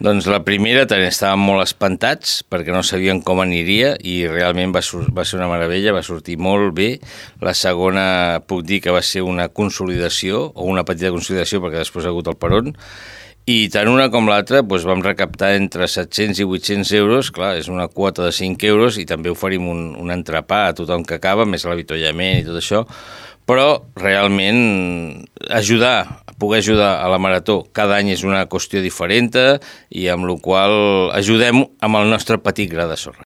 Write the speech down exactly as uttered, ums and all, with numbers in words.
Doncs la primera també estàvem molt espantats perquè no sabien com aniria i realment va, va ser una meravella, va sortir molt bé. La segona puc dir que va ser una consolidació o una petita consolidació perquè després ha hagut el peron. I tant una com l'altra doncs vam recaptar entre set-cents i vuit-cents euros, clar, és una quota de cinc euros i també oferim un, un entrepà a tothom que acaba, més l'avituallament i tot això, però realment ajudar, poder ajudar a la Marató cada any és una qüestió diferent i amb la qual ajudem amb el nostre petit gra de sorra.